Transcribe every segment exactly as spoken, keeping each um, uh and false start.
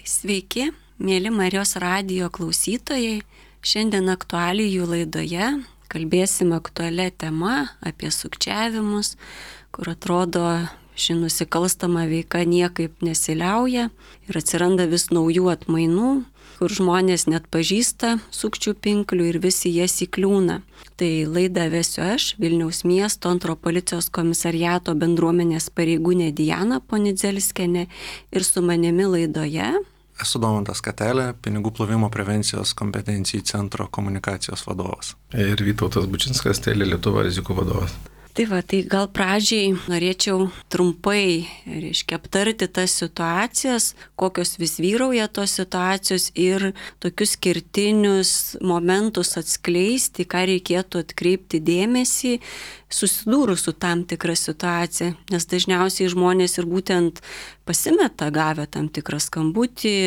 Sveiki, mėly Marijos radijo klausytojai. Šiandien aktualijų laidoje kalbėsim aktualią temą apie sukčiavimus, kur atrodo ši nusikalstama veika niekaip nesiliauja ir atsiranda vis naujų atmainų, kur žmonės net pažįsta sukčių pinklių ir visi jas įkliūna. Tai laidą vesiu aš, Vilniaus miesto antro policijos komisariato bendruomenės pareigūnė Diana Ponidzelskienė, ir su manimi laidoje Esu Domantas Katelė, pinigų plovimo prevencijos kompetencijų centro komunikacijos vadovas. Ir Vytautas Bučinskas, Telia Lietuva rizikų vadovas. Tai va, tai gal pradžiai norėčiau trumpai, reiškia, aptarti tas situacijas, kokios vis vyrauja tos situacijos ir tokius kertinius momentus atskleisti, ką reikėtų atkreipti dėmesį, susidūrus su tam tikra situacija, nes dažniausiai žmonės ir būtent pasimeta gavę tam tikrą skambutį,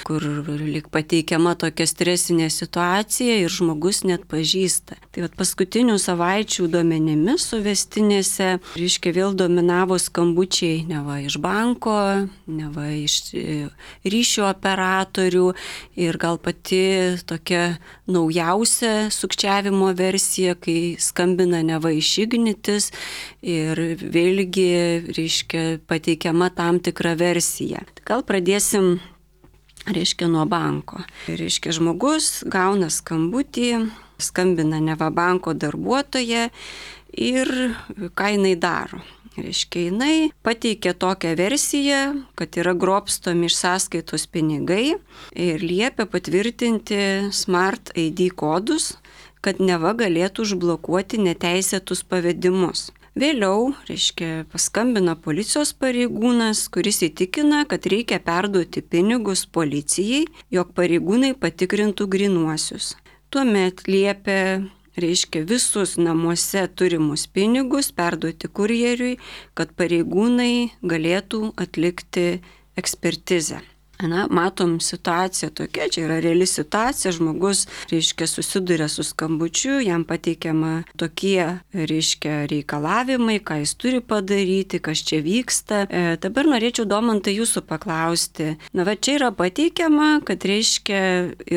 kur lyg pateikiama tokia stresinė situacija ir žmogus net pažįsta. Tai vat paskutinių savaičių duomenimis suvestinėse, reiškia, vėl dominavo skambučiai neva iš banko, neva iš ryšio operatorių ir gal pati tokia naujausia sukčiavimo versija, kai skambina neva iš Ignitis ir vėlgi, reiškia, pateikiama tam tikra versija. Gal pradėsim, reiškia, nuo banko. Reiškia, žmogus gauna skambutį, skambina neva banko darbuotoja ir ką jinai daro. Reiškia, jinai pateikia tokią versiją, kad yra grobstomi iš sąskaitos pinigai ir liepia patvirtinti Smart I D kodus, kad neva galėtų užblokuoti neteisėtus pavedimus. Vėliau, reiškia, paskambina policijos pareigūnas, kuris įtikina, kad reikia perduoti pinigus policijai, jog pareigūnai patikrintų grynuosius. Tuomet liepia, reiškia, visus namuose turimus pinigus perduoti kurjeriui, kad pareigūnai galėtų atlikti ekspertizę. Na, matom situaciją tokia, čia yra reali situacija, žmogus, reiškia, susiduria su skambučiu, jam pateikiama tokie, reiškia, reikalavimai, ką jis turi padaryti, kas čia vyksta. E, dabar norėčiau, Domantai, jūsų paklausti. Na, va, čia yra pateikiama, kad, reiškia,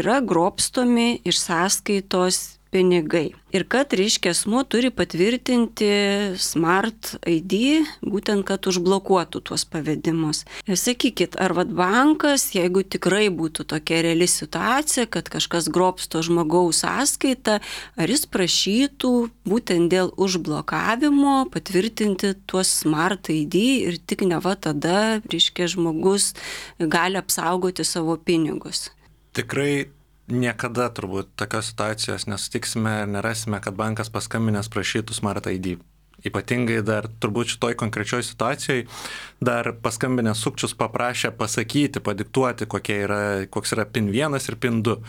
yra grobstomi iš sąskaitos pinigai. Ir kad, reiškia, asmuo turi patvirtinti Smart I D, būtent, kad užblokuotų tuos pavedimus. Ir sakykit, ar vat bankas, jeigu tikrai būtų tokia reali situacija, kad kažkas grobsto žmogaus sąskaitą, ar jis prašytų būtent dėl užblokavimo patvirtinti tuos Smart I D ir tik neva tada, reiškia, žmogus gali apsaugoti savo pinigus? Tikrai niekada turbūt tokios situacijos nesutiksime ir nerasime, kad bankas paskambinęs prašytų Smart I D. Ypatingai dar turbūt šitoj konkrečioj situacijai dar paskambinęs sukčius paprašė pasakyti, padiktuoti, kokie yra, koks yra PIN vienas ir PIN du.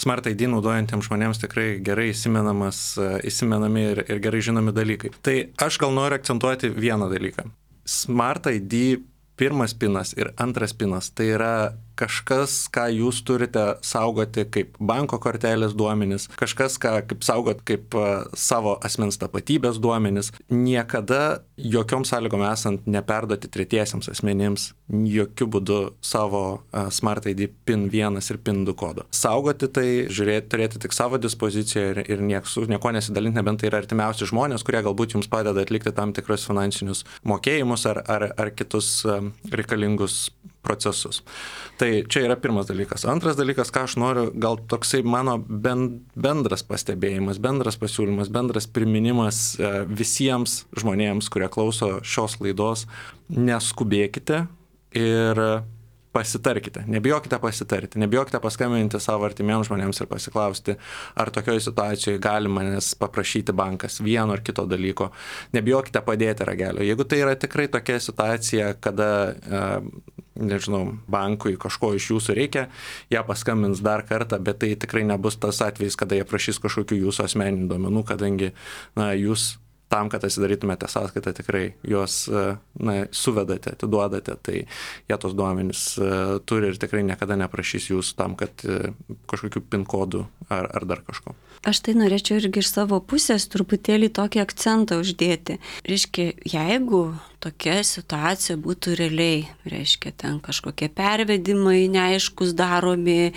Smart I D naudojantiems žmonėms tikrai gerai įsimenamas, įsimenami ir, ir gerai žinomi dalykai. Tai aš gal noriu akcentuoti vieną dalyką. Smart I D pirmas pinas ir antras pinas tai yra kažkas, ką jūs turite saugoti kaip banko kortelės duomenis, kažkas, ką kaip saugot kaip uh, savo asmens tapatybės duomenis. Niekada jokiom sąlygom esant neperduoti tretiesiems asmenims jokių būdų savo uh, Smart I D PIN vienas ir PIN du kodo. Saugoti tai, žiūrėti, turėti tik savo dispoziciją ir, ir niek, su nieko nesidalinti, nebent tai yra artimiausi žmonės, kurie galbūt jums padeda atlikti tam tikrus finansinius mokėjimus ar, ar, ar kitus um, reikalingus procesus. Tai čia yra pirmas dalykas. Antras dalykas, ką aš noriu, gal toksai mano bendras pastebėjimas, bendras pasiūlymas, bendras priminimas visiems žmonėms, kurie klauso šios laidos, neskubėkite ir pasitarkite. Nebijokite pasitarti, nebijokite paskambinti savo artimiems žmonėms ir pasiklausti, ar tokioje situacijoje gali manęs paprašyti bankas vieno ar kito dalyko. Nebijokite padėti ragelio. Jeigu tai yra tikrai tokia situacija, kada, nežinau, bankui kažko iš jūsų reikia, jie paskambins dar kartą, bet tai tikrai nebus tas atvejis, kada jie prašys kažkokių jūsų asmeninių duomenų, kadangi na, jūs tam, kad atsidarytumėte sąskaitą, tikrai juos na, suvedate, atiduodate, tai jie tos duomenys uh, turi ir tikrai niekada neprašys jūs tam, kad uh, kažkokių PIN kodų ar, ar dar kažko. Aš tai norėčiau irgi iš savo pusės truputėlį tokį akcentą uždėti. Reiškia, jeigu tokia situacija būtų realiai, reiškia, ten kažkokie pervedimai neaiškus daromi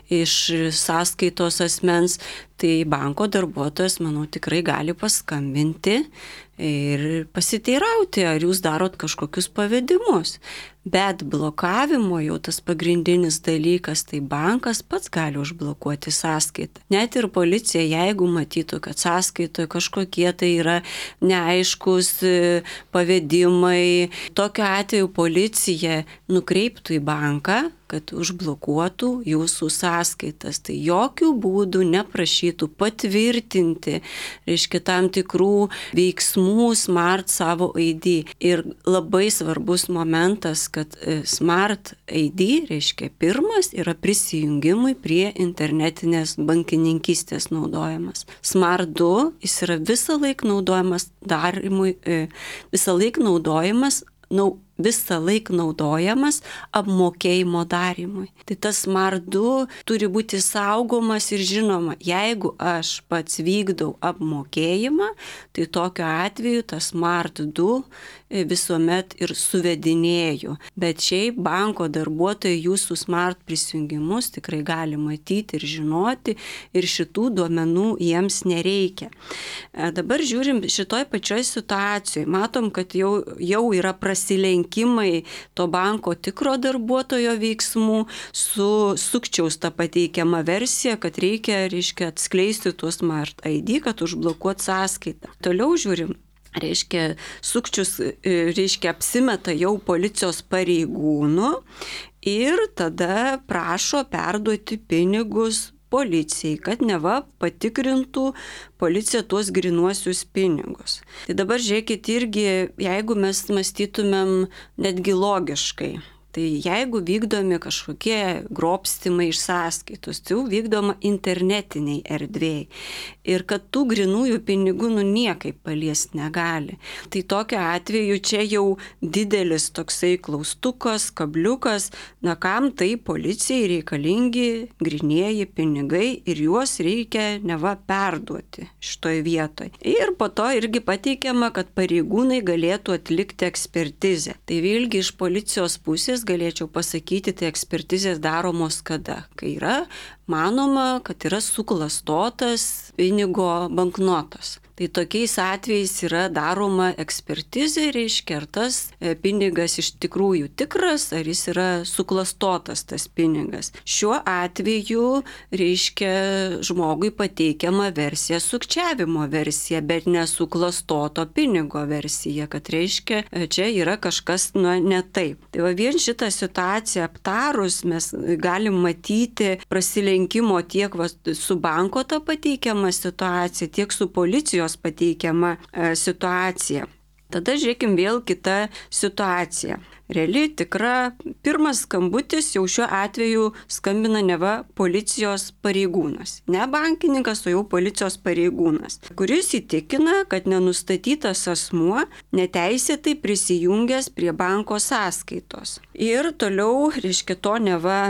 iš sąskaitos asmens, tai banko darbuotojas, manau, tikrai gali paskambinti ir pasiteirauti, ar jūs darot kažkokius pavedimus. Bet blokavimo jau tas pagrindinis dalykas, tai bankas pats gali užblokuoti sąskaitą. Net ir policija, jeigu matytų, kad sąskaitoje kažkokie tai yra neaiškus pavedimai, tokiu atveju policija nukreiptų į banką, kad užblokuotų jūsų sąskaitas. Tai jokių būdų neprašytų patvirtinti, reiškia, tam tikrų veiksmų Smart savo I D. Ir labai svarbus momentas, kad Smart I D, reiškia, pirmas yra prisijungimui prie internetinės bankininkystės naudojamas. Smart du, jis yra visą laiką naudojamas darimui, visą laiką naudojamas, nau, visą laiką naudojamas apmokėjimo darimui. Tai tas Smart du turi būti saugomas ir žinoma, jeigu aš pats vykdau apmokėjimą, tai tokiu atveju tas Smart du visuomet ir suvedinėju. Bet šiaip banko darbuotojai jūsų Smart prisijungimus tikrai gali matyti ir žinoti ir šitų duomenų jiems nereikia. Dabar žiūrim šitoj pačioj situacijoje. Matom, kad jau, jau yra prasilenkimai to banko tikro darbuotojo veiksmų su sukčiaus tą pateikiamą versiją, kad reikia, reiškia, atskleisti tuos Smart I D, kad užblokuot sąskaitą. Toliau žiūrim. Reiškia, sukčius, reiškia, apsimeta jau policijos pareigūnų ir tada prašo perduoti pinigus policijai, kad neva patikrintų policija tuos grinuosius pinigus. Tai dabar žiūrėkit irgi, jeigu mes mąstytumėm netgi logiškai, tai jeigu vykdomi kažkokie grobstimai iš sąskaitos, tai jau vykdoma internetiniai erdvėjai. Ir kad tų grinųjų pinigų nu niekaip paliest negali. Tai tokiu atveju čia jau didelis toksai klaustukas, kabliukas, na kam tai policijai reikalingi grinieji pinigai ir juos reikia neva perduoti šitoj vietoj. Ir po to irgi pateikiama, kad pareigūnai galėtų atlikti ekspertizę. Tai vėlgi iš policijos pusės galėčiau pasakyti, tai ekspertizės daromos kada? Kai yra manoma, kad yra suklastotas pinigo banknotas. Tai tokiais atvejais yra daroma ekspertizė, reiškia, ar tas pinigas iš tikrųjų tikras, ar jis yra suklastotas tas pinigas. Šiuo atveju, reiškia, žmogui pateikiama versija, sukčiavimo versija, bet nesuklastoto pinigo versija, kad reiškia, čia yra kažkas nu, ne taip. Tai va vien šitą situaciją aptarus mes galim matyti prasilenkimo tiek va, su banko ta pateikiama situacija, tiek su policijos pateikiama e, situacija. Tada žiūrėkim vėl kitą situaciją. Reali, tikra, pirmas skambutis jau šiuo atveju skambina neva policijos pareigūnas. Ne bankininkas, o jau policijos pareigūnas, kuris įtikina, kad nenustatytas asmuo neteisėtai prisijungęs prie banko sąskaitos. Ir toliau, reiškia, to neva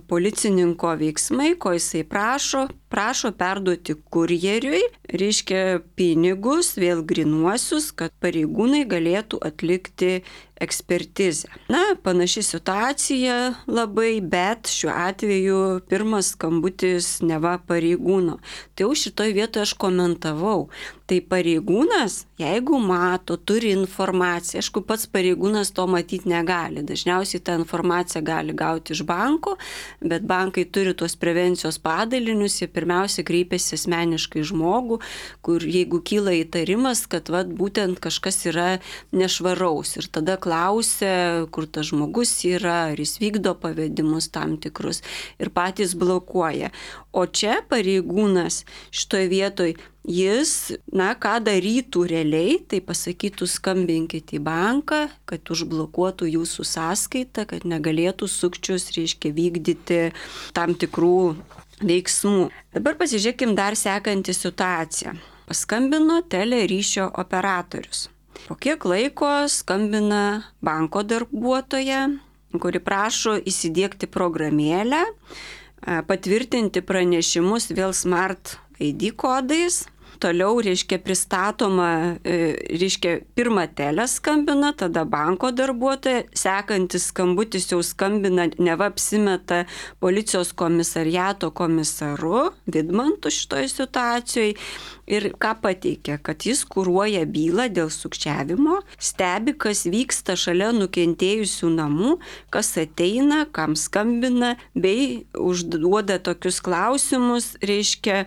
policininko veiksmai, ko jisai prašo, prašo perduoti kurjeriui, reiškia, pinigus, vėl grinuosius, kad pareigūnai galėtų atlikti ekspertizę. Na, panaši situacija labai, bet šiuo atveju pirmas skambutis neva pareigūno. Tai jau šitoj vietoje aš komentavau. Tai pareigūnas, jeigu mato, turi informaciją, aišku, pats pareigūnas to matyti negali. Dažniausiai tą informaciją gali gauti iš banko, bet bankai turi tuos prevencijos padalinius, jie pirmiausia kreipiasi asmeniškai žmogų, kur jeigu kyla įtarimas, kad vat, būtent kažkas yra nešvaraus ir tada klausia, kur tas žmogus yra, ar jis vykdo pavedimus tam tikrus ir patys blokuoja. O čia pareigūnas šitoje vietoje jis, na, ką darytų realiai, tai pasakytų skambinkit į banką, kad užblokuotų jūsų sąskaitą, kad negalėtų sukčius, reiškia, vykdyti tam tikrų veiksmų. Dabar pasižiūrėkim dar sekantį situaciją. Paskambino teleryšio operatorius. Po kiek laiko skambina banko darbuotoja, kuri prašo įsidiegti programėlę, patvirtinti pranešimus vėl Smart I D kodais toliau, reiškia, pristatoma, reiškia, pirmą telę skambina, tada banko darbuotoja, sekantis skambutis jau skambina, neva apsimeta policijos komisariato komisaru Vidmantu šitoje situacijoje. Ir ką pateikia, kad jis kuruoja bylą dėl sukčiavimo, stebi, kas vyksta šalia nukentėjusių namų, kas ateina, kam skambina, bei užduoda tokius klausimus, reiškia,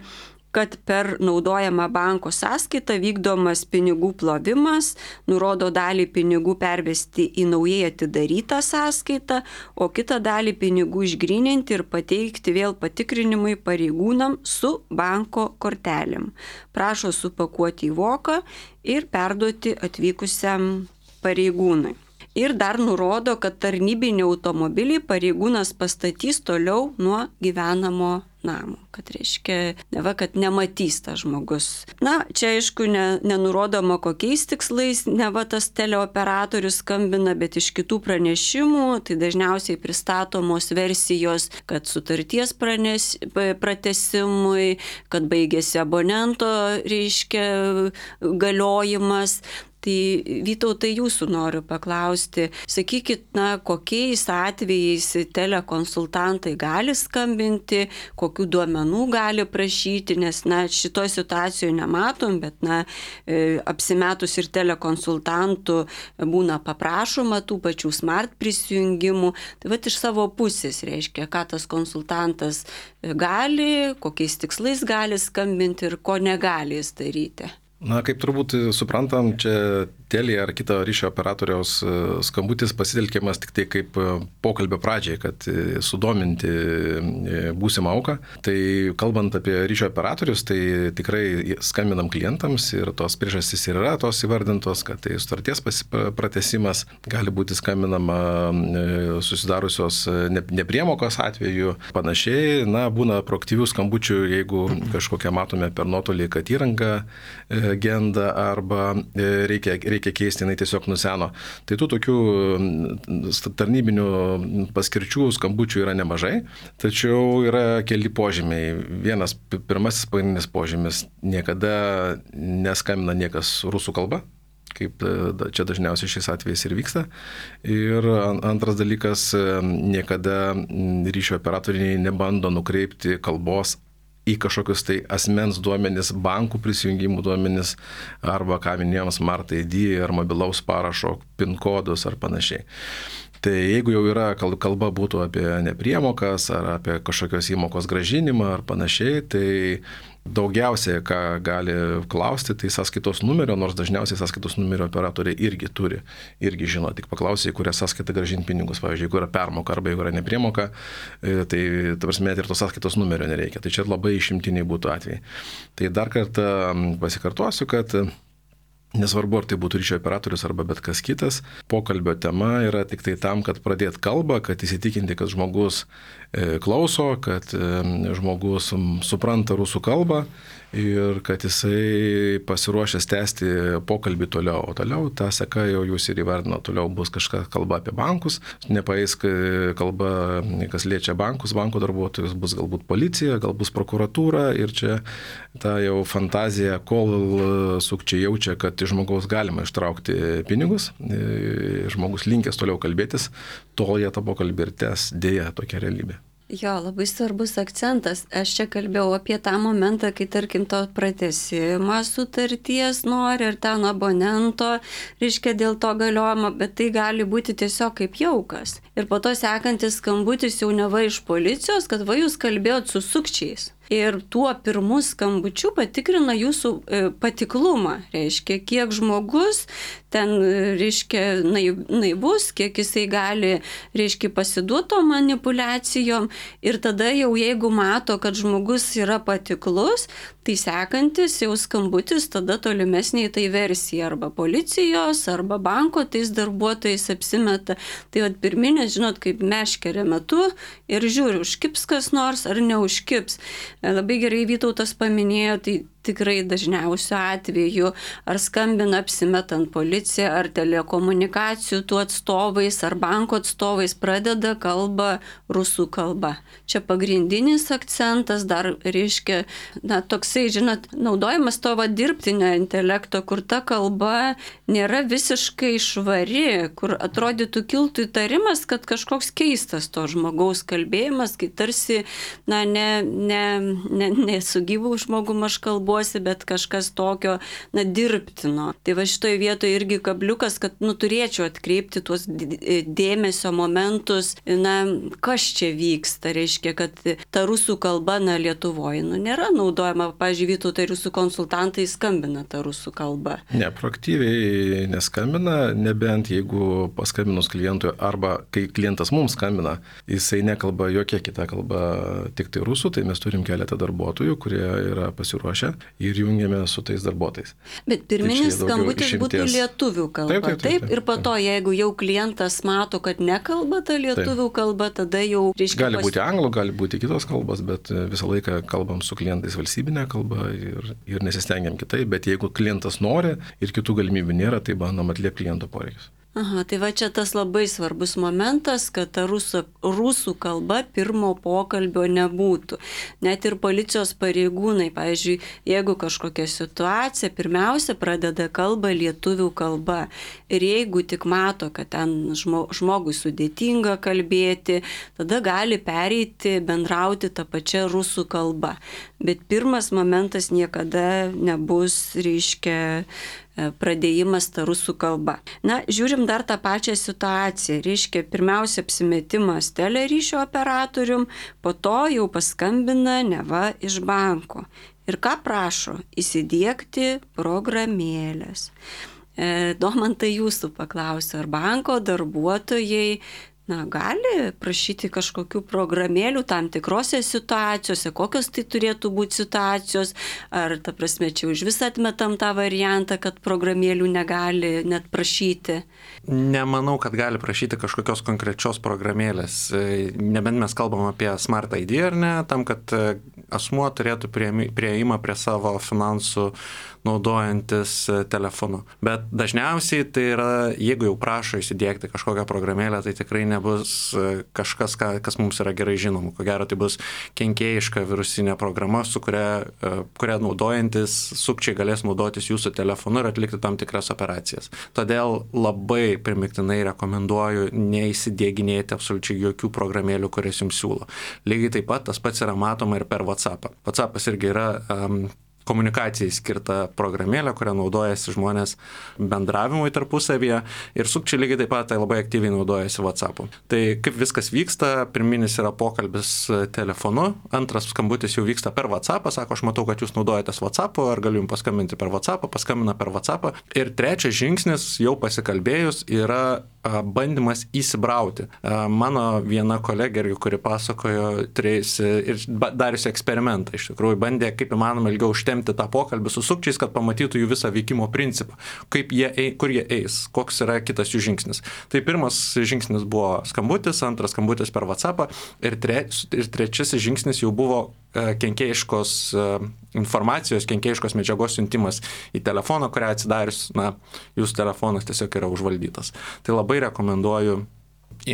kad per naudojamą banko sąskaitą vykdomas pinigų plovimas, nurodo dalį pinigų pervesti į naujai atidarytą sąskaitą, o kitą dalį pinigų išgryninti ir pateikti vėl patikrinimui pareigūnam su banko kortelėm. Prašo supakuoti į voką ir perduoti atvykusiam pareigūnui. Ir dar nurodo, kad tarnybinį automobilį pareigūnas pastatys toliau nuo gyvenamo namo. Kad reiškia, neva, kad nematys tas žmogus. Na, čia aišku, ne, nenurodoma kokiais tikslais, neva tas teleoperatorius skambina, bet iš kitų pranešimų, tai dažniausiai pristatomos versijos, kad sutarties pranes, pratesimui, kad baigėsi abonento, reiškia, galiojimas. Tai Vytautai, jūsų noriu paklausti, sakykit, na, kokiais atvejais telekonsultantai gali skambinti, kokių duomenų gali prašyti, nes, na, šitoje situacijoje nematom, bet, na, apsimetus ir telekonsultantų būna paprašoma tų pačių smart prisijungimų. Tai vat iš savo pusės reiškia, ką tas konsultantas gali, kokiais tikslais gali skambinti ir ko negali jis daryti. Na, kaip turbūt suprantam, čia Telia ar kito ryšio operatoriaus skambutis pasitelkiamas tik tai kaip pokalbio pradžiai, kad sudominti būsimą auką. Tai kalbant apie ryšio operatorius, tai tikrai skambinam klientams ir tos priežastys yra tos įvardintos, kad tai sutarties pratęsimas, gali būti skambinama susidarusios nepriemokos atveju, panašiai. Na, būna proaktyvių skambučių, jeigu kažkokią matome per nuotolį, kad įranga genda arba reikia, reikia keisti, jinai tiesiog nuseno. Tai tų tokių tarnybinių paskirčių skambučių yra nemažai, tačiau yra keli požymiai. Vienas, pirmasis pagrindinis požymis, niekada neskambina niekas rusų kalba, kaip čia dažniausiai šiais atvejais ir vyksta. Ir antras dalykas, niekada ryšio operatoriai nebando nukreipti kalbos į kažkokius tai asmens duomenis, bankų prisijungimų duomenis arba, ką minėjom, Smart I D ar mobilaus parašo PIN kodus ar panašiai. Tai jeigu jau yra kalba būtų apie nepriemokas ar apie kažkokios įmokos grąžinimą ar panašiai, tai daugiausiai, ką gali klausti, tai sąskaitos numerio, nors dažniausiai sąskaitos numerio operatoriai irgi turi, irgi žino, tik paklausai, kurią sąskaitą grąžinti pinigus. Pavyzdžiui, jeigu yra permoka arba jeigu yra nepriemoka, tai, ta prasme, ir tos sąskaitos numerio nereikia. Tai čia labai išimtiniai būtų atvejai. Tai dar kartą pasikartosiu, kad nesvarbu, ar tai būtų ryšio operatorius arba bet kas kitas, pokalbio tema yra tik tai tam, kad pradėt kalbą, kad įsitikinti, kad žmogus klauso, kad žmogus supranta rusų kalbą ir kad jisai pasiruošęs tęsti pokalbį toliau. O toliau ta seka jau jūs ir įvardino, toliau bus kažką kalba apie bankus, nepaeis kalba, kas liečia bankus, banko darbuotojus, bus galbūt policija, gal bus prokuratūra ir čia ta jau fantazija, kol sukčiai jaučia, kad iš žmogaus galima ištraukti pinigus, žmogus linkęs toliau kalbėtis, tol jie tą pokalbį ir tęs, dėja tokia realybė. Jo, labai svarbus akcentas. Aš čia kalbėjau apie tą momentą, kai, tarkim, to pratęsimą sutarties nori ir ten abonento, reiškia dėl to galiojimo, bet tai gali būti tiesiog kaip jaukas. Ir po to sekantis skambutis jau neva iš policijos, kad va jūs kalbėjot su sukčiais. Ir tuo pirmu skambučiu patikrina jūsų patiklumą, reiškia, kiek žmogus ten, reiškia, naivus, kiek jisai gali, reiškia, pasiduoto manipulacijom ir tada jau jeigu mato, kad žmogus yra patiklus, tai sekantis jau skambutis tada tolimesnė tai versija arba policijos, arba banko tais darbuotojais apsimeta. Tai vat pirminės, žinot, kaip meškerė metu ir žiūri, užkips kas nors ar neužkips. Labai gerai Vytautas paminėjo, tai tikrai dažniausiu atveju, ar skambina apsimetant policiją, ar telekomunikacijų tų atstovais, ar banko atstovais, pradeda kalbą rusų kalba. Čia pagrindinis akcentas dar reiškia, na, toksai, žinot, naudojimas to va dirbtinio intelekto, kur ta kalba nėra visiškai švari, kur atrodytų kiltų įtarimas, kad kažkoks keistas to žmogaus kalbėjimas, kai tarsi, na, ne, ne, ne, ne su gyvu žmogum aš kalbuosi, bet kažkas tokio, na, dirbtino. Tai va šitoje vietoje irgi kabliukas, kad, nu, turėčiau atkreipti tuos dėmesio momentus, na, kas čia vyksta, reiškia, kad ta rusų kalba, na, Lietuvoje, nu, nėra naudojama, pavyzdžiui, Vytautai rusų konsultantai skambina tą rusų kalbą. Ne, proaktyviai neskambina, nebent jeigu paskambinus klientui arba kai klientas mums skambina, jisai nekalba jokia kita kalba, tik tai rusų, tai mes turim keletą darbuotojų, kurie yra pasiruošę ir jungiame su tais darbuotojais. Bet pirminis tai skambutis būtų lietuvių kalba, taip, taip, taip, taip, ir po to, jeigu jau klientas mato, kad nekalba ta lietuvių taip. Kalba, tada jau reiškia... Gali būti anglų, gali būti kitos kalbos, bet visą laiką kalbam su klientais valstybinę kalbą ir, ir nesistengiam kitaip, bet jeigu klientas nori ir kitų galimybių nėra, tai bandom atliepti kliento poreikius. Aha, tai va čia tas labai svarbus momentas, kad ta rusų, rusų kalba pirmo pokalbio nebūtų. Net ir policijos pareigūnai, pavyzdžiui, jeigu kažkokia situacija, pirmiausia pradeda kalbą lietuvių kalba. Ir jeigu tik mato, kad ten žmogui sudėtinga kalbėti, tada gali pereiti, bendrauti tą pačią rusų kalbą. Bet pirmas momentas niekada nebus, reiškia, pradėjimas tą rusų kalbą. Na, žiūrim dar tą pačią situaciją. Reiškia, pirmiausia apsimetimas teleryšio operatorium, po to jau paskambina neva iš banko. Ir ką prašo? Įsidiegti programėlės. E, Domantai, jūsų paklausiu, ar banko darbuotojai na, gali prašyti kažkokių programėlių tam tikrose situacijose, kokios tai turėtų būti situacijos, ar ta prasme čia už visą atmetam tą variantą, kad programėlių negali net prašyti? Nemanau, kad gali prašyti kažkokios konkrečios programėlės. Nebent mes kalbam apie Smart I D, ar ne, tam, kad asmuo turėtų prieimą prie savo finansų naudojantis telefonu. Bet dažniausiai tai yra, jeigu jau prašo įsidiegti kažkokią programėlę, tai tikrai nebus kažkas, kas mums yra gerai žinoma. Ko gero, tai bus kenkėjiška virusinė programa, su kuria, kuria naudojantis sukčiai galės naudotis jūsų telefonu ir atlikti tam tikras operacijas. Todėl labai primiktinai rekomenduoju neįsidieginėti absoliučiai jokių programėlių, kurias jums siūlo. Lygiai taip pat tas pats yra matoma ir per WhatsAppą. WhatsAppas irgi yra um, komunikacijai skirta programėlė, kurią naudojasi žmonės bendravimui tarpusavyje ir sukčiai lygiai taip pat tai labai aktyviai naudojasi WhatsApp'u. Tai kaip viskas vyksta, pirminis yra pokalbis telefonu, antras skambutis jau vyksta per WhatsApp'ą, sako, aš matau, kad jūs naudojatės WhatsApp'u, ar galiu jums paskambinti per WhatsApp'ą, paskambina per WhatsApp'ą. Ir trečias žingsnis, jau pasikalbėjus, yra bandymas įsibrauti. Mano viena kolegė, kuri pasakojo, turėjusi ir dariusi eksperimentą, iš tikrųjų bandė kaip įmanoma ilgiau užtemti tą pokalbį su sukčiais, kad pamatytų jų visą veikimo principą, kaip jie, kur jie eis, koks yra kitas jų žingsnis. Tai pirmas žingsnis buvo skambutis, antras skambutis per WhatsApp'ą ir, tre, ir trečiasis žingsnis jau buvo kenkėjiškos informacijos, kenkėjiškos medžiagos siuntimas į telefoną, kurią atsidarius, na, jūsų telefonas tiesiog yra užvaldytas. Tai labai rekomenduoju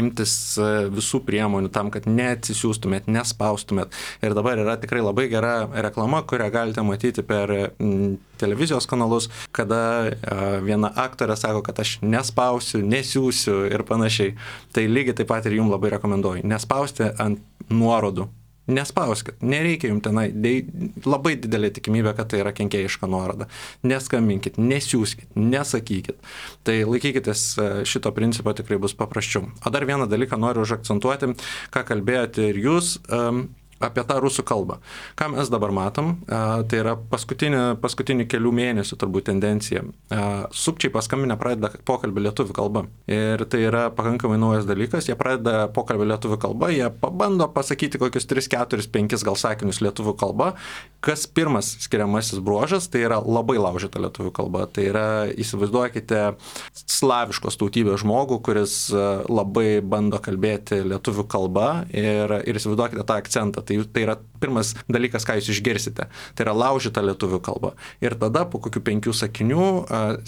imtis visų priemonių tam, kad neatsisiųstumėt, nespaustumėt. Ir dabar yra tikrai labai gera reklama, kurią galite matyti per televizijos kanalus, kada viena aktorė sako, kad aš nespausiu, nesiųsiu ir panašiai. Tai lygiai taip pat ir jums labai rekomenduoju. Nespausti ant nuorodų. Nespauskit, nereikia jums tenai, labai didelė tikimybė, kad tai yra kenkėjiška nuoroda. Neskambinkit, nesiųskit, nesakykit. Tai laikykitės šito principo, tikrai bus paprasčiau. O dar vieną dalyką noriu užakcentuoti, ką kalbėjote ir jūs, um, apie tą rusų kalbą. Ką mes dabar matom, tai yra paskutinį, paskutinį kelių mėnesių turbūt tendencija. Sukčiai paskambinę pradeda pokalbį lietuvių kalba. Ir tai yra pakankamai naujas dalykas. Jie pradeda pokalbį lietuvių kalba, jie pabando pasakyti kokius tris, keturis, penkis gal sakinius lietuvių kalba. Kas pirmas skiriamasis bruožas, tai yra labai laužyta lietuvių kalba. Tai yra, įsivaizduokite, slaviškos tautybės žmogų, kuris labai bando kalbėti lietuvių kalba ir, ir įsivaizduokite tą akcentą. tai, tai yra pirmas dalykas, ką jūs išgirsite. Tai yra laužyta lietuvių kalba. Ir tada po kokių penkių sakinių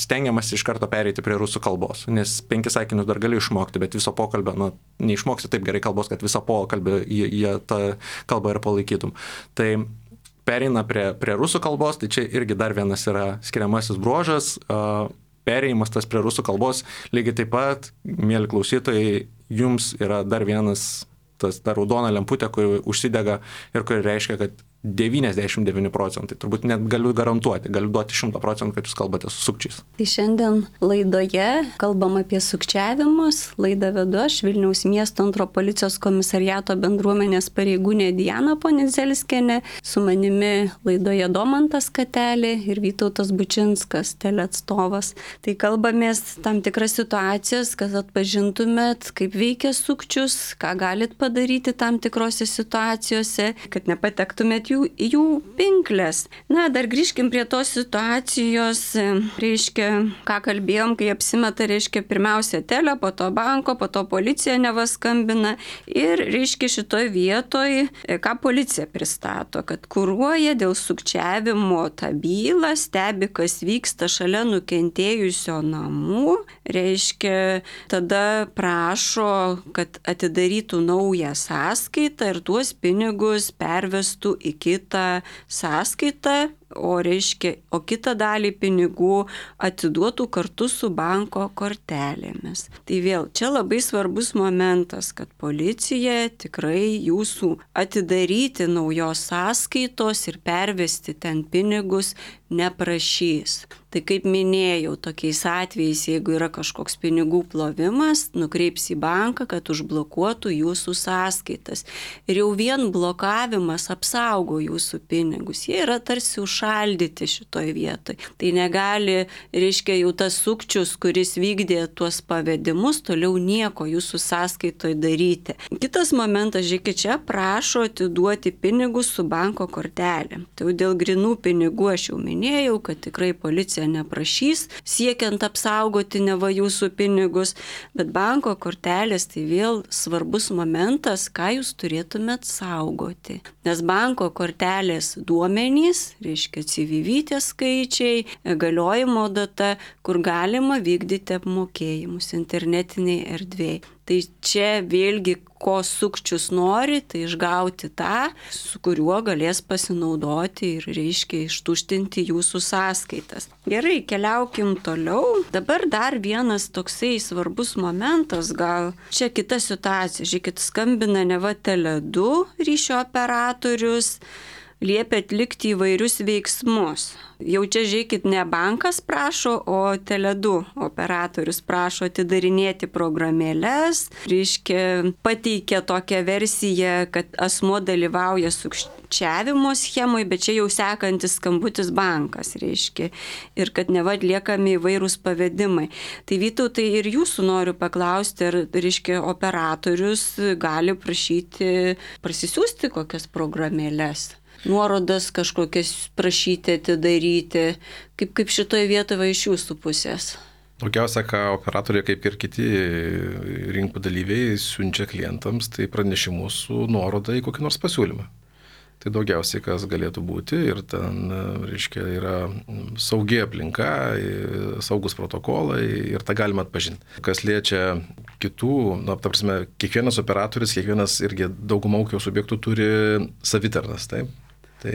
stengiamas iš karto pereiti prie rusų kalbos, nes penkis sakinius dar gali išmokti, bet viso pokalbio, nu, neišmoksi taip gerai kalbos, kad visą pokalbį jie, jie tą kalbą ir palaikytum. Tai pereina prie, prie rusų kalbos, tai čia irgi dar vienas yra skiriamasis bruožas. Perėjimas tas prie rusų kalbos, lygiai taip pat, mėly klausytojai, jums yra dar vienas, tas ta raudona lemputė, kuri užsidega ir kuri reiškia, kad devyniasdešimt devyni procentai, turbūt net galiu garantuoti, galiu duoti šimtą procentų, kad jūs kalbate su sukčiais. Tai šiandien laidoje kalbam apie sukčiavimus. Laidą vedu aš, Vilniaus miesto antro policijos komisariato bendruomenės pareigūnė Diana Ponizelskienė, su manimi laidoje Domantas Katelė ir Vytautas Bučinskas, teleatstovas. Tai kalbamės tam tikras situacijas, kad atpažintumėt, kaip veikia sukčius, ką galit padaryti tam tikrose situacijose, kad nepatektumėt jų, jų pinklės. Na, dar grįžkim prie tos situacijos, reiškia, ką kalbėjom, kai apsimeta, reiškia, pirmiausia telė, po to banko, po to policija nevaskambina ir, reiškia, šitoj vietoj, ką policija pristato, kad kuruoja dėl sukčiavimo tą bylą, stebi, kas vyksta šalia nukentėjusio namų, reiškia, tada prašo, kad atidarytų naują sąskaitą ir tuos pinigus pervestų į kitą sąskaitą, o reiškia, o kitą dalį pinigų atiduotų kartu su banko kortelėmis. Tai vėl, čia labai svarbus momentas, kad policija tikrai jūsų atidaryti naujos sąskaitos ir pervesti ten pinigus neprašys. Tai kaip minėjau, tokiais atvejais, jeigu yra kažkoks pinigų plovimas, nukreips į banką, kad užblokuotų jūsų sąskaitas. Ir jau vien blokavimas apsaugo jūsų pinigus. Jie yra tarsi užšaldyti šitoj vietoj. Tai negali, reiškia, jau tas sukčius, kuris vykdė tuos pavedimus, toliau nieko jūsų sąskaitoj daryti. Kitas momentas, žiūrėkit, čia prašo atiduoti pinigus su banko kortelė. Tai dėl grinų pinigų aš jau minėjau, kad tikrai policija neprašys, siekiant apsaugoti neva jūsų pinigus, bet banko kortelės tai vėl svarbus momentas, ką jūs turėtumėt saugoti. Nes banko kortelės duomenys, reiškia C V V tie skaičiai, galiojimo data, kur galima vykdyti apmokėjimus internetiniai erdvėje. Tai čia vėlgi, ko sukčius nori, tai išgauti tą, su kuriuo galės pasinaudoti ir, reiškia, ištuštinti jūsų sąskaitas. Gerai, keliaukim toliau. Dabar dar vienas toksai svarbus momentas, gal čia kita situacija. Žiūrėkit, skambina neva Tele du ryšio operatorius, liepia atlikti įvairius veiksmus. Jau čia, žiūrėkit, ne bankas prašo, o Tele du operatorius prašo atidarinėti programėles, reiškia, pateikia tokią versiją, kad asmuo dalyvauja sukčiavimo schemoje, bet čia jau sekantis skambutis bankas, reiškia, ir kad neva atliekami įvairūs pavedimai. Tai Vytautai, ir jūsų noriu paklausti, ar, reiškia, operatorius gali prašyti prasisiųsti kokias programėles, nuorodas kažkokias prašyti atidaryti, kaip, kaip šitoje vietoje iš jūsų pusės? Daugiausia, ką operatoriai, kaip ir kiti rinkų dalyviai, siunčia klientams, tai pranešimus su nuoroda į kokį nors pasiūlymą. Tai daugiausiai, kas galėtų būti, ir ten, reiškia, yra saugi aplinka, saugus protokolai ir tą galima atpažinti. Kas liečia kitų, na, ta prasme, kiekvienas operatorius, kiekvienas irgi dauguma ūkio subjektų turi savitarnas, taip? Tai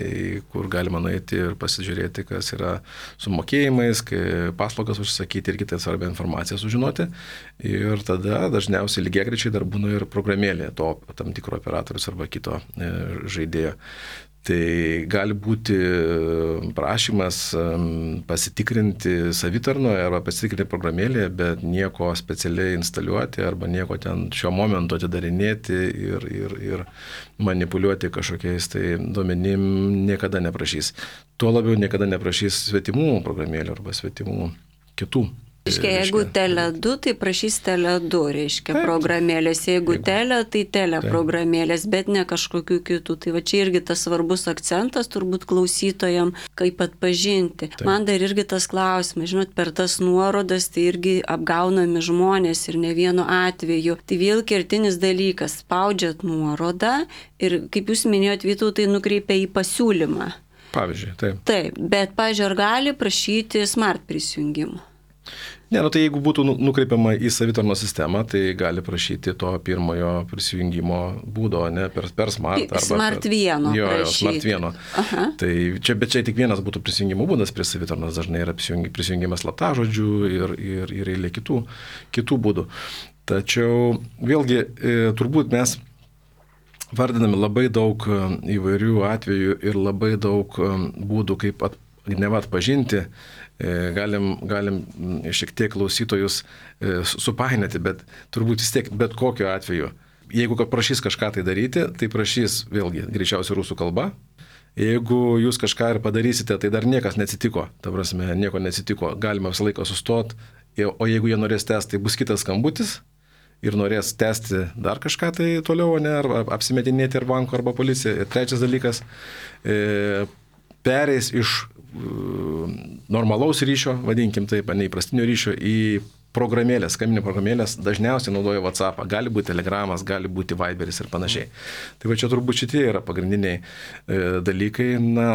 kur galima nueiti ir pasižiūrėti, kas yra su mokėjimais, paslaugas užsakyti ir kitą svarbią informaciją sužinoti. Ir tada dažniausiai lygiagrečiai dar būna ir programėlė to tam tikro operatorius arba kito žaidėjo. Tai gali būti prašymas pasitikrinti savitarnoje arba pasitikrinti programėlėje, bet nieko specialiai instaliuoti arba nieko ten šiuo momentu atidarinėti ir, ir, ir manipuliuoti kažkokiais tai duomenim niekada neprašys. Tuo labiau niekada neprašys svetimų programėlių arba svetimų kitų Reiškia, jeigu Tele du, tai prašys Tele du, reiškia, taip, programėlės. Jeigu taip. Tele, tai Tele taip. Programėlės, bet ne kažkokių kitų. Tai va čia irgi tas svarbus akcentas turbūt klausytojam, kaip atpažinti. Taip. Man dar irgi tas klausimas, žinot, per tas nuorodas tai irgi apgaunami žmonės ir ne vienu atveju. Tai vėl kertinis dalykas, spaudžiat nuorodą ir, kaip jūs minėjot, Vytautai, nukreipia į pasiūlymą. Pavyzdžiui, taip. Taip, bet, pavyzdžiui, ar gali prašyti smart prisijungimų? Ne, nu tai jeigu būtų nukreipiama į savitarnos sistemą, tai gali prašyti to pirmojo prisijungimo būdo, ne, per, per smart. Arba smart vieno. Jo, jo, smart vieno. Aha. Tai čia, bet čia tik vienas būtų prisijungimo būdas prie savitarnos, dažnai yra prisijungimas slaptažodžių ir, ir, ir eilė kitų, kitų būdų. Tačiau vėlgi e, turbūt mes vardiname labai daug įvairių atvejų ir labai daug būdų, kaip at, neva atpažinti. Galim, galim šiek tiek klausytojus supainioti, bet turbūt vis tiek bet kokiu atveju. Jeigu prašys kažką tai daryti, tai prašys vėlgi greičiausiai rusų kalba. Jeigu jūs kažką ir padarysite, tai dar niekas neatsitiko. Ta prasme, nieko neatsitiko. Galima visą laiką sustoti, o jeigu jie norės tęsti, tai bus kitas skambutis ir norės tęsti dar kažką tai toliau, ne, ar apsimetinėti ar banko, arba policija. Ir trečias dalykas, e, pereis iš normalaus ryšio, vadinkim taip, neįprastinio ryšio, į programėlės, skambinimo programėlės, dažniausiai naudoja WhatsAppą, gali būti Telegramas, gali būti Viberis ir panašiai. Tai va čia turbūt šitie yra pagrindiniai e, dalykai, na,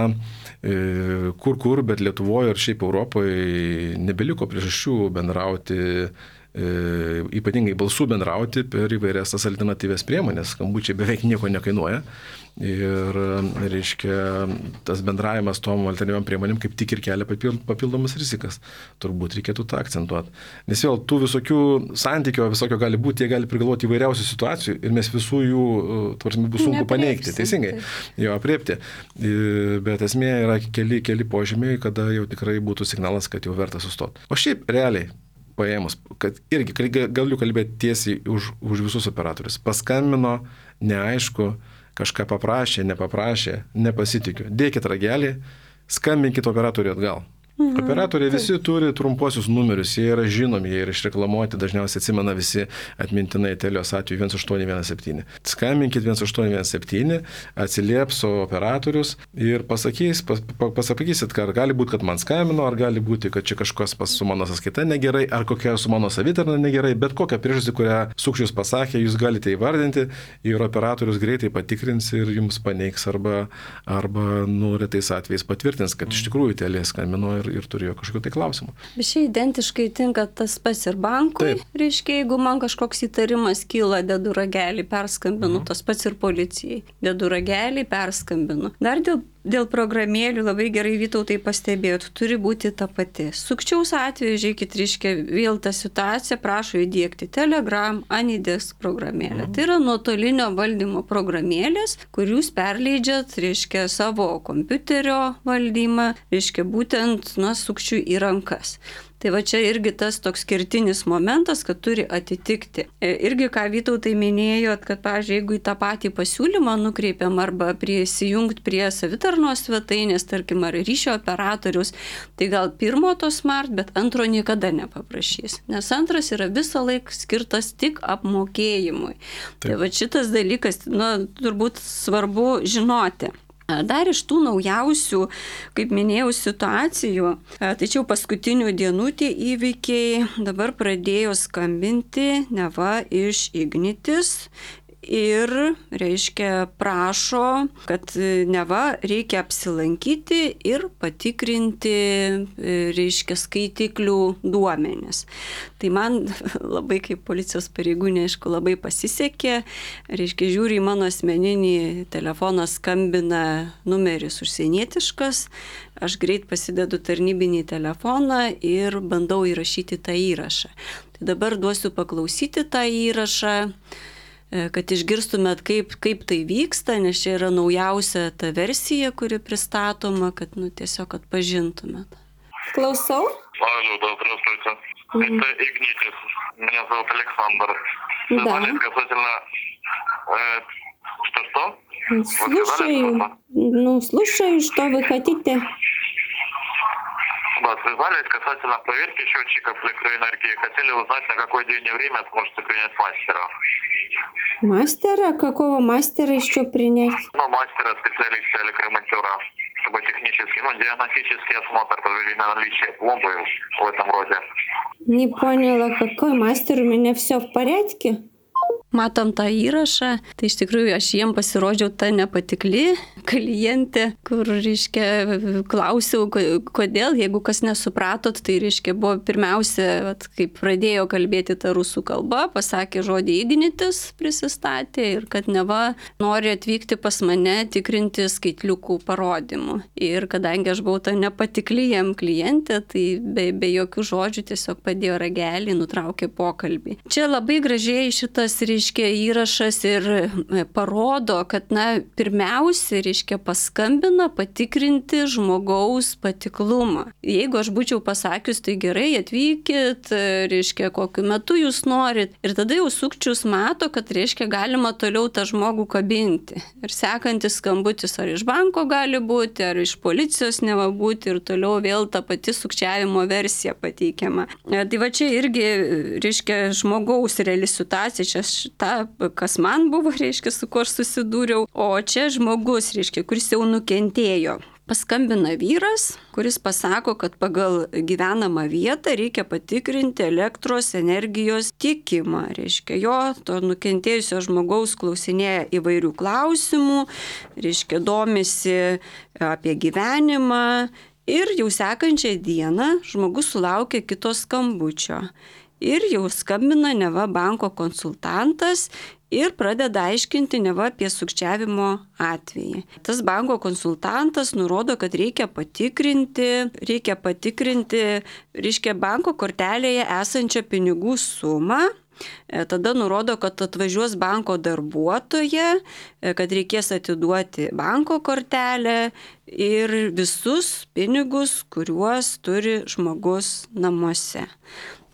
e, kur kur, bet Lietuvoje ir šiaip Europoje nebeliko priežasčių bendrauti, e, ypatingai balsų bendrauti per įvairias tas alternatyvės priemonės, skambučiai beveik nieko nekainuoja. Ir, reiškia, tas bendravimas tom alternatyviam priemonėm kaip tik ir kelia papildomas rizikas. Turbūt reikėtų tą akcentuoti. Nes vėl tų visokių santykio, visokio gali būti, jie gali prigalvoti įvairiausių situacijų ir mes visų jų, tvarsime, bus sunku paneigti. Teisingai, jo apriepti. Bet esmė yra keli, keli požymiai, kada jau tikrai būtų signalas, kad jau verta sustoti. O šiaip realiai paėmus, kad irgi galiu kalbėti tiesiai už, už visus operatorius. Paskambino, neaišku, kažką paprašė, nepaprašė, nepasitikiu. Dėkit ragelį, skambinkit operatoriui atgal. Mhm. Operatoriai visi turi trumposius numerius, jie yra žinomi, jie yra išreklamuoti, dažniausiai atsimena visi atmintinai Telios atveju vienas aštuoni vienas septyni. Skambinkit vienas aštuoni vienas septyni, atsilieps operatorius ir pasakys, pas, pasakysit, kad gali būti, kad man skambino, ar gali būti, kad čia kažkas pas su mano sąskaita negerai, ar kokia su mano savitarna negerai, bet kokią priežastį, kurią sukčius pasakė, jūs galite įvardinti ir operatorius greitai patikrins ir jums paneigs arba, arba nu, retais atvejais patvirtins, kad iš tikrųjų Telia skambino ir ir turėjo kažkokių tai klausimų. Bet šia identiškai tinka tas pats ir bankui. Taip. Reiškia, jeigu man kažkoks įtarimas kyla, dedu ragelį, perskambinu, mhm. tas pats ir policijai. Dedu ragelį, perskambinu. Dar dėl, dėl programėlių labai gerai Vytautai pastebėjot, turi būti ta pati. Sukčiaus atveju, žiūrėkit, reiškia, vėl tą situaciją prašo įdėkti Telegram, Anidex programėlę. Mhm. Tai yra nuotolinio valdymo programėlės, kur jūs perleidžiat, reiškia, savo kompiuterio valdymą, reiškia, būtent nuo sukčių į rankas. Tai va čia irgi tas toks kertinis momentas, kad turi atitikti. Irgi ką Vytautai minėjot, kad, pavyzdžiui, jeigu į tą patį pasiūlymą nukreipiam arba prisijungti prie savitarnos svetainės, tarkim, ar ryšio operatorius, tai gal pirmo to smart, bet antro niekada nepaprašys. Nes antras yra visą laiką skirtas tik apmokėjimui. Taip. Tai va šitas dalykas, nu, turbūt svarbu žinoti. Dar iš tų naujausių, kaip minėjau, situacijų, tačiau paskutinių dienų tie įvykiai dabar pradėjo skambinti neva iš Ignitis ir, reiškia, prašo, kad neva reikia apsilankyti ir patikrinti, reiškia, skaitiklių duomenis. Tai man labai kaip policijos pareigūnė, aišku, labai pasisekė. Reiškia, žiūri į mano asmeninį telefoną, skambina numeris užsienietiškas, aš greit pasidedu tarnybinį telefoną ir bandau įrašyti tą įrašą. Tai dabar duosiu paklausyti tą įrašą, kad išgirstumėt, kaip, kaip tai vyksta, nes čia yra naujausia ta versija, kuri pristatoma, kad nu, tiesiog atpažintumėt. Klausau? Алло, да, здравствуйте. Mm-hmm. Это Игнитис. Меня зовут Александр. Звонит да. Касательно... Э, что-что? Слушаю. Ну, слушаю, что вы хотите. спасибо. Связались касательно проверки счетчиков электроэнергии. Хотели узнать, на какой день и время сможете принять мастера. Мастера? Какого мастера еще принять? Ну, мастера, специалиста, электромонтера. Чтобы технический, ну, диагностический осмотр, проверить на наличие пломбы в этом роде. Не поняла, какой мастер, у меня все в порядке? Matom tą įrašą, tai iš tikrųjų aš jiem pasirodžiau ta nepatikli klientė, kur, reiškia, klausiau, kodėl, jeigu kas nesupratot, tai, reiškia, buvo pirmiausia, vat, kaip pradėjo kalbėti tą rusų kalbą, pasakė žodį ignitis, prisistatė ir kad neva nori atvykti pas mane tikrinti skaitliukų parodymų. Ir kadangi aš buvau ta nepatikli jam klientė, tai be, be jokių žodžių tiesiog padėjo ragelį, nutraukė pokalbį. Čia labai gražiai šitas, reiškia, įrašas ir parodo, kad, na, pirmiausia, reiškia, paskambina patikrinti žmogaus patiklumą. Jeigu aš būčiau pasakius, tai gerai, atvykit, reiškia, kokiu metu jūs norit, ir tada jau sukčius mato, kad, reiškia, galima toliau tą žmogų kabinti. Ir sekantis skambutis ar iš banko gali būti, ar iš policijos neva būti, ir toliau vėl ta pati sukčiavimo versija pateikiama. Tai va čia irgi, reiškia, žmogaus reali situacija, čia ta, kas man buvo, reiškia, su kuo aš susidūriau, o čia žmogus, reiškia, kuris jau nukentėjo. Paskambina vyras, kuris pasako, kad pagal gyvenamą vietą reikia patikrinti elektros energijos tiekimą. Reiškia, jo, to nukentėjusio žmogaus klausinėja įvairių klausimų, reiškia, domisi apie gyvenimą. Ir jau sekančią dieną žmogus sulaukia kito skambučio. Ir jau skambina neva banko konsultantas ir pradeda aiškinti neva apie sukčiavimo atvejį. Tas banko konsultantas nurodo, kad reikia patikrinti, reikia patikrinti, reiškia, banko kortelėje esančią pinigų sumą. Tada nurodo, kad atvažiuos banko darbuotoja, kad reikės atiduoti banko kortelę ir visus pinigus, kuriuos turi žmogus namuose.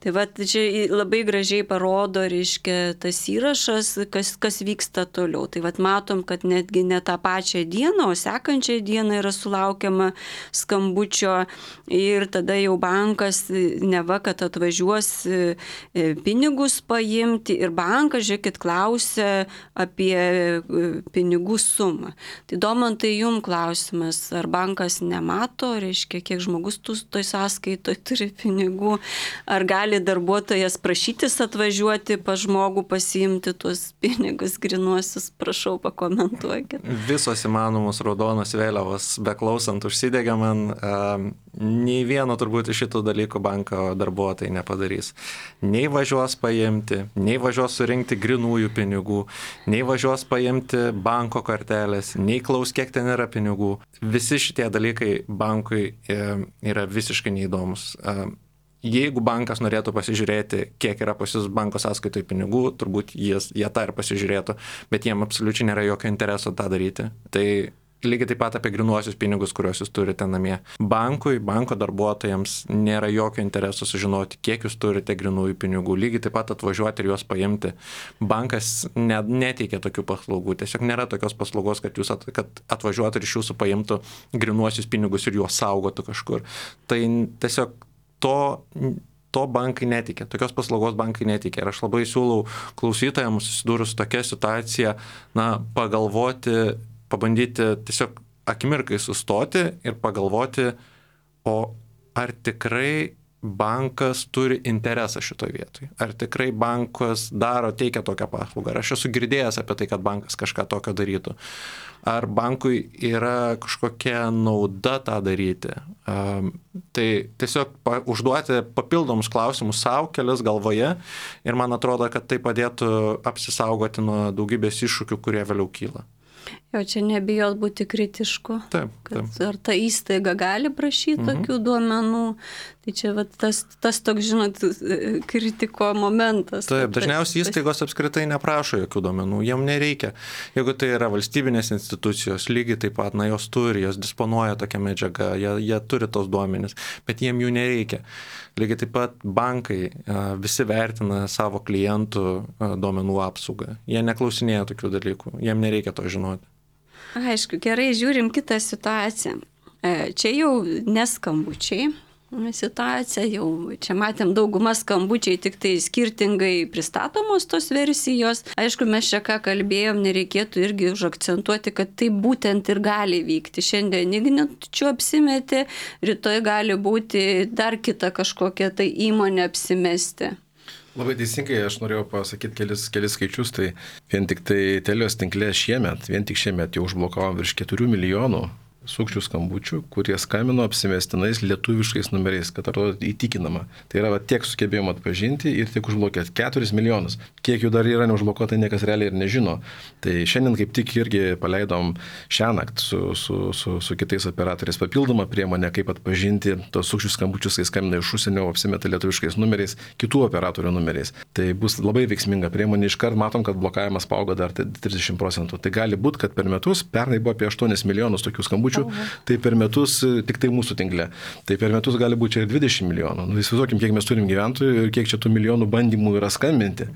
Tai va, čia labai gražiai parodo, reiškia, tas įrašas, kas, kas vyksta toliau. Tai va, matom, kad netgi ne tą pačią dieną, o sekančią dieną yra sulaukiama skambučio ir tada jau bankas neva, kad atvažiuos pinigus paimti ir bankas, žiūrėkit, klausia apie pinigų sumą. Tai Domantai, jum klausimas, ar bankas nemato, reiškia, kiek žmogus toj sąskaitoj turi pinigų, ar gali darbuotojas prašytis atvažiuoti pas žmogų pasiimti tuos pinigus grinuosius, prašau, pakomentuokit. Visos įmanomos raudonos vėliavos beklausant užsidegė man, uh, nei vieno turbūt iš šitų dalykų banko darbuotojai nepadarys. Nei važiuos paimti, nei važiuos surinkti grinųjų pinigų, nei važiuos paimti banko kortelės, nei klaus, kiek ten yra pinigų. Visi šitie dalykai bankui uh, yra visiškai neįdomus. Uh, Jeigu bankas norėtų pasižiūrėti, kiek yra pas jūs banko sąskaitoje pinigų, turbūt jie, jie tą ir pasižiūrėtų, bet jiem absoliučiai nėra jokio intereso tą daryti. Tai lygiai taip pat apie grinuosius pinigus, kuriuos jūs turite namie. Bankui, banko darbuotojams nėra jokio intereso sužinoti, kiek jūs turite grinųjų pinigų. Lygiai taip pat atvažiuoti ir juos paimti. Bankas ne, neteikia tokių paslaugų. Tiesiog nėra tokios paslaugos, kad jūs at, kad atvažiuotų ir iš jūsų paimtų grinuosius pinigus ir juos saugotų kažkur. Tai tiesiog To, to bankai netikė, tokios paslaugos bankai netikė. Ir aš labai siūlau klausytojams susidūrus tokia situacija, na, pagalvoti, pabandyti tiesiog akimirkai sustoti ir pagalvoti, o ar tikrai bankas turi interesą šitoje vietoje. Ar tikrai bankas daro, teikia tokią paslaugą. Ar aš esu girdėjęs apie tai, kad bankas kažką tokio darytų. Ar bankui yra kažkokia nauda tą daryti. Um, tai tiesiog pa, užduoti papildomus klausimus savo, kelias galvoje ir man atrodo, kad tai padėtų apsisaugoti nuo daugybės iššūkių, kurie vėliau kyla. Jo, čia nebijot būti kritišku. Taip, taip. Ar ta įstaiga gali prašyti mhm. tokių duomenų. Tai čia va, tas, tas toks, žinot, kritiko momentas. Taip, dažniausiai įstaigos apskritai neprašo jokių duomenų, jiem nereikia. Jeigu tai yra valstybinės institucijos, lygiai taip pat, na, jos turi, jos disponuoja tokią medžiagą, jie, jie turi tos duomenis, bet jiem jų nereikia. Lygiai taip pat bankai visi vertina savo klientų duomenų apsaugą. Jie neklausinėja tokių dalykų, jiem nereikia to žinoti. Aišku, gerai, žiūrim kitą situaciją. Čia jau neskambučiai, situacija, jau čia matėm daugumą skambučiai, tik tai skirtingai pristatomos tos versijos. Aišku, mes čia ką kalbėjom, nereikėtų irgi užakcentuoti, kad tai būtent ir gali vykti. Šiandien Igničiu apsimetė, rytoj gali būti dar kita kažkokia tai įmonė apsimesti. Labai teisingai, aš norėjau pasakyti kelis, kelis skaičius, tai vien tik tai Telios tinkle šiemet, vien tik šiemet jau užblokavom virš keturių milijonų sukčių skambučių, kurie skambino apsimestinais lietuviškais numeriais, kad atrodo įtikinama. Tai yra va, tiek sugebėjom atpažinti ir tiek užblokėti keturis milijonus. Kiek jų dar yra neužblokuota, niekas realiai ir nežino. Tai šiandien kaip tik irgi paleidom šiąnakt su, su, su, su kitais operatoriais papildomą priemonę, kaip atpažinti tos sukčių skambučius, kai skambina iš užsienio, apsimeta lietuviškais numeriais, kitų operatorių numeriais. Tai bus labai veiksminga priemonė. Iškart matom, kad blokavimas paaugo dar trisdešimt procentų. Tai gali būti, kad per metus, pernai buvo apie aštuonis milijonus tokių skambučių, tai per metus tik tai mūsų tinkle. Tai per metus gali būti čia ir dvidešimt milijonų. Nu, įsivaizduokim, kiek mes turim gyventojų ir kiek čia tų milijonų bandymų yra skambinti,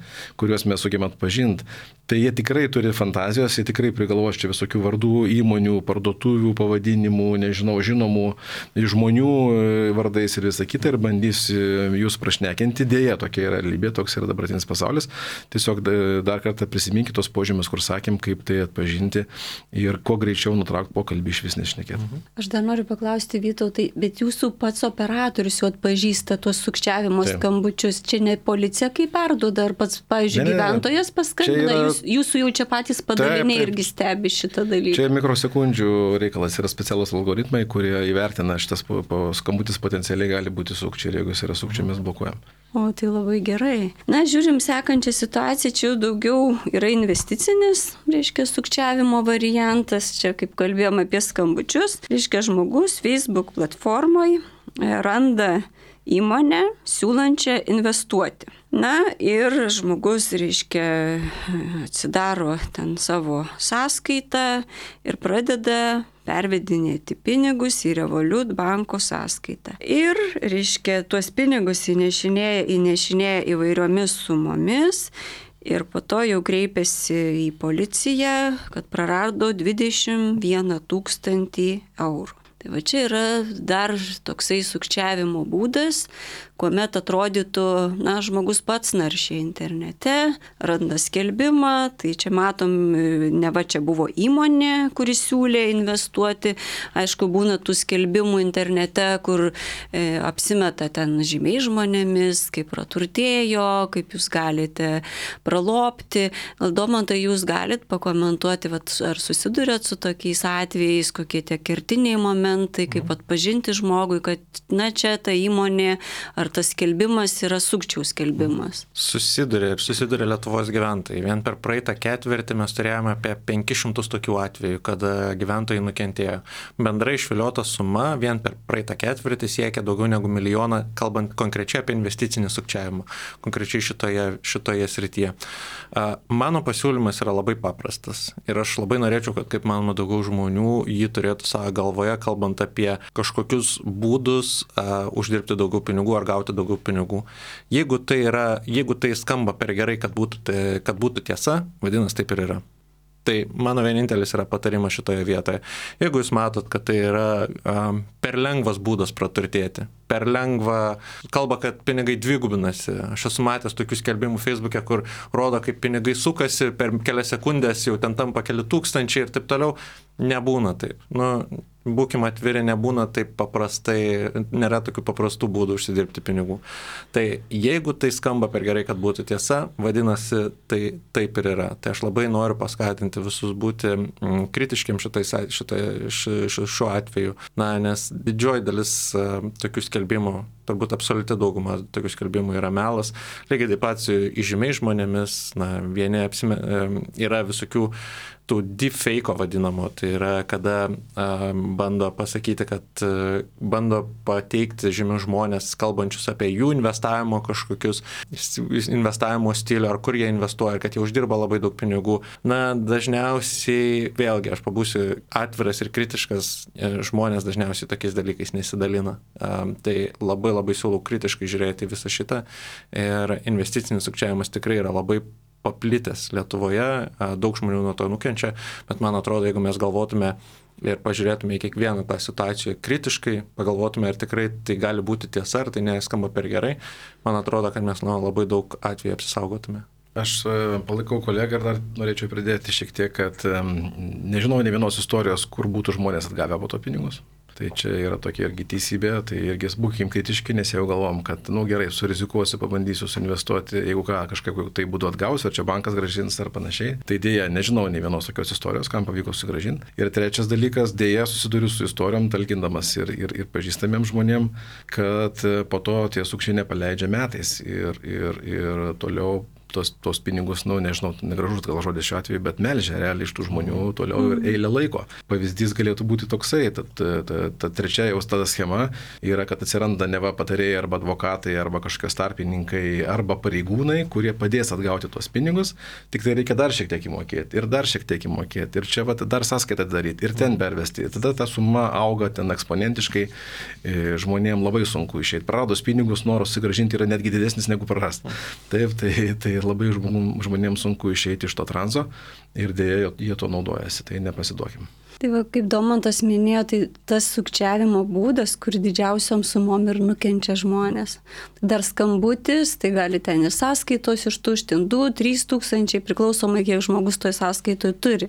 kuriuos mes sugebame atpažinti. Tai jie tikrai turi fantazijos, jie tikrai prigalvos čia visokių vardų, įmonių, parduotuvių, pavadinimų, nežinau, žinomų žmonių vardais ir visą kitą ir bandys jūs prašnekinti. Dėja, tokia yra realybė, toks yra dabartinis pasaulis. Tiesiog dar kartą prisiminkite tos požymius, kur sakėm, kaip tai atpažinti ir kuo greičiau nutraukti pokalbį iš vis nešnekėti. Aš dar noriu paklausti, Vytautai, bet jūsų pats operatorius jau atpažįsta tuos sukčiavimo Taip. skambučius. Čia ne policija kaip perduoda, ar pats, pavyzdžiui, Ne, ne, ne. gyventojas paskambina, Čia yra- jūs, jūsų jau čia patys padaliniai Taip, taip. irgi stebi šitą dalyką. Čia mikrosekundžių reikalas, yra specialus algoritmai, kurie įvertina šitas po, po skambutis potencialiai gali būti sukčiai ir jeigu jis yra sukčiai, mes blokuojam. O, tai labai gerai. Na, žiūrim sekančią situaciją, čia jau daugiau yra investicinis, reiškia, sukčiavimo variantas, čia kaip kalbėjom apie skambučius, reiškia, žmogus Facebook platformoje randa įmonę siūlančią investuoti. Na ir žmogus, reiškia, atsidaro ten savo sąskaitą ir pradeda pervedinėti pinigus į Revolut banko sąskaitą. Ir, reiškia, tuos pinigus įnešinėja, įnešinėja įvairiomis sumomis ir po to jau kreipiasi į policiją, kad prarado dvidešimt vieną tūkstantį eurų. Tai va čia yra dar toksai sukčiavimo būdas, kuomet atrodytų, na, žmogus pats naršia internete, randa skelbimą, tai čia matom, ne va čia buvo įmonė, kuris siūlė investuoti, aišku, būna tų skelbimų internete, kur e, apsimeta ten žymiai žmonėmis, kaip praturtėjo, kaip jūs galite pralopti. Gal Domantai, jūs galit pakomentuoti, vat, ar susidurėt su tokiais atvejais, kokie tie kertiniai momentai, kaip atpažinti žmogui, kad, na, čia ta įmonė ar tas skelbimas yra sukčių skelbimas. Susiduria ir susiduria Lietuvos gyventojai. Vien per praeitą ketvirtį mes turėjome apie penkis šimtus tokių atvejų, kada gyventojai nukentėjo. Bendrai išviliota suma vien per praeitą ketvirtį siekia daugiau negu milijoną, kalbant konkrečiai apie investicinį sukčiavimą, konkrečiai šitoje, šitoje srityje. Mano pasiūlymas yra labai paprastas ir aš labai norėčiau, kad kaip manoma daugiau žmonių jį turėtų savo galvoje, kalbant apie kažkokius būdus uh, uždirbti daugiau pinigų ar gauti daugiau pinigų. Jeigu tai, yra, jeigu tai skamba per gerai, kad būtų, tai, kad būtų tiesa, vadinasi taip ir yra. Tai mano vienintelis yra patarimas šitoje vietoje. Jeigu jūs matot, kad tai yra um, per lengvas būdas praturtėti, per lengva, kalba, kad pinigai dvigubinasi. Aš esu matęs tokių skelbimų Facebook'e, kur rodo, kaip pinigai sukasi, per kelias sekundės jau ten tampa keli tūkstančiai ir taip toliau. Nebūna taip. Nu, būkime atviri, nebūna taip paprastai, nėra tokių paprastų būdų užsidirbti pinigų. Tai jeigu tai skamba per gerai, kad būtų tiesa, vadinasi, tai taip ir yra. Tai aš labai noriu paskatinti visus būti mm, kritiškiam šitais, šitai, š, šiuo atveju. Na, nes didžioji dalis uh, tokių skelbimų, turbūt absoliuti dauguma tokių skelbimų yra melas. Lygiai taip pat su įžymiais žmonėmis, na, vieni apsime, uh, yra visokių tų deepfake'o vadinamo, tai yra kada a, bando pasakyti, kad a, bando pateikti žymius žmonės, kalbančius apie jų investavimo kažkokius investavimo stilių, ar kur jie investuoja, ir kad jie uždirba labai daug pinigų. Na, dažniausiai, vėlgi, aš pabūsiu atviras ir kritiškas, žmonės dažniausiai tokiais dalykais nesidalina. A, tai labai labai siūlau kritiškai žiūrėti visą šitą ir investicinis sukčiavimas tikrai yra labai paplitęs Lietuvoje, daug žmonių nuo to nukenčia, bet man atrodo, jeigu mes galvotume ir pažiūrėtume į kiekvieną tą situaciją kritiškai, pagalvotume, ar tikrai tai gali būti tiesa, ar tai neskamba per gerai, man atrodo, kad mes nuo labai daug atvejų apsisaugotume. Aš palaikau kolegą ir dar norėčiau pridėti šiek tiek, kad nežinau ne vienos istorijos, kur būtų žmonės atgavę po to pinigus. Tai čia yra tokia irgi teisybė, tai irgi būkim kritiški, nes jau galvom, kad, nu gerai, surizikuosiu, pabandysiu suinvestuoti, jeigu ką, kažkaip tai būdu atgausiu, ar čia bankas gražins ar panašiai. Tai dėja, nežinau ne vienos tokios istorijos, kam pavyko sugražinti. Ir trečias dalykas, dėja, susiduriu su istorijom, talkindamas ir, ir, ir pažįstamiems žmonėm, kad po to tie sukčiai nepaleidžia metais ir, ir, ir toliau tos, tos pinigus, nu, nežinau, negražus gal žodis šiuo atveju, bet melžia realiai iš tų žmonių toliau ir eilę laiko. Pavyzdys galėtų būti toksai, tad ta, ta, ta trečia jau tada schema yra, kad atsiranda neva patarėjai arba advokatai, arba kažkokios tarpininkai, arba pareigūnai, kurie padės atgauti tuos pinigus, tik tai reikia dar šiek tiek įmokėti ir dar šiek tiek įmokėti ir čia va, dar sąskaitą daryti ir ten pervesti. Ir tada ta suma auga ten eksponentiškai, žmonėms labai sunku išeiti. Praradus pinigus, noras susigrąžinti yra netgi didesnis negu prarasti. Taip, tai, tai labai žmonėms sunku išeiti iš to tranzo ir dėja jie to naudojasi, tai nepasiduokim. Tai va, kaip Domantas minėjo, tai tas sukčiavimo būdas, kur didžiausiom sumom ir nukenčia žmonės. Tai dar skambutis, tai gali ten ir sąskaitos ištuštinti du trys tūkstančiai, priklausomai kiek žmogus toj sąskaitoje turi.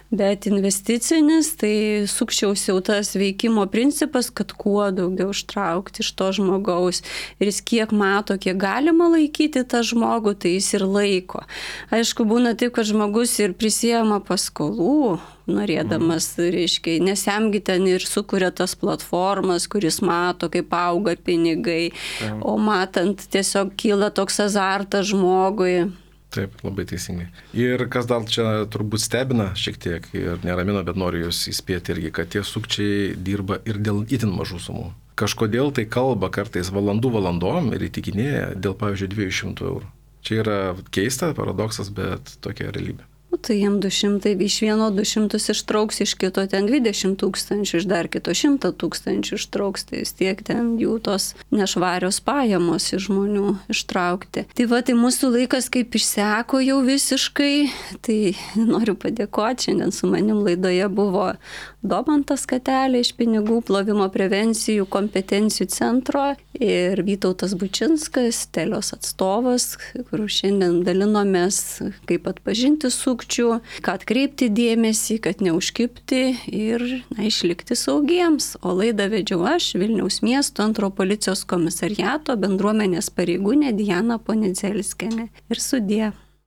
Bet investicinis, tai sukčiaus jau tas veikimo principas, kad kuo daugiau ištraukti iš to žmogaus. Ir jis kiek mato, kiek galima laikyti tą žmogų, tai jis ir laiko. Aišku, būna taip, kad žmogus ir prisijama paskolų, norėdamas, reiškia, nes jamgi ten ir sukuria tas platformas, kuris mato, kaip auga pinigai, Taip. O matant tiesiog kyla toks azartas žmogui. Taip, labai teisingai. Ir kas dar čia turbūt stebina šiek tiek ir neramina, bet noriu jūs įspėti irgi, kad tie sukčiai dirba ir dėl itin mažų sumų. Kažkodėl tai kalba kartais valandų valandom ir įtikinėja dėl, pavyzdžiui, dviejų šimtų eurų. Čia yra keista, paradoksas, bet tokia realybė. Nu, tai jiem du šimtai, iš vieno du šimtus ištrauks, iš kito ten dvidešimt tūkstančių, iš dar kito šimtą tūkstančių ištrauks, tai vis tiek ten jų tos nešvarios pajamos iš žmonių ištraukti. Tai va, tai mūsų laikas kaip išseko jau visiškai, tai noriu padėkoti, šiandien su manim laidoje buvo Domantas Katelė iš pinigų plovimo prevencijų kompetencijų centro ir Vytautas Bučinskas, Telios atstovas, kur šiandien dalinomės, kaip atpažinti sukčių, kad atkreipti dėmesį, kad neužkibti ir na, išlikti saugiems. O laidą vedžiau aš, Vilniaus miesto antro policijos komisariato bendruomenės pareigūnė Diana Ponidzelskienė. Ir sudie.